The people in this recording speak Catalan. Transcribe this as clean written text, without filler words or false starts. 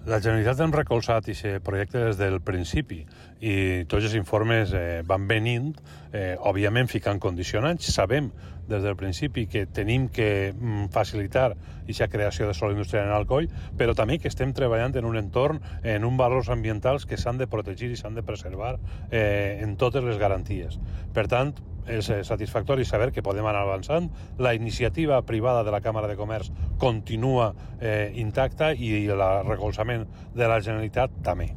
La Generalitat hem recolzat aquest projecte des del principi i tots els informes van venint, òbviament ficant condicionants. Sabem des del principi que tenim que facilitar aquesta creació de sòl industrial en Alcoi, però també que estem treballant en un entorn, en uns valors ambientals que s'han de protegir i s'han de preservar en totes les garanties. Per tant, és satisfactori saber que podem anar avançant. La iniciativa privada de la Càmera de Comerç continua intacta i el recolzament de la Generalitat també.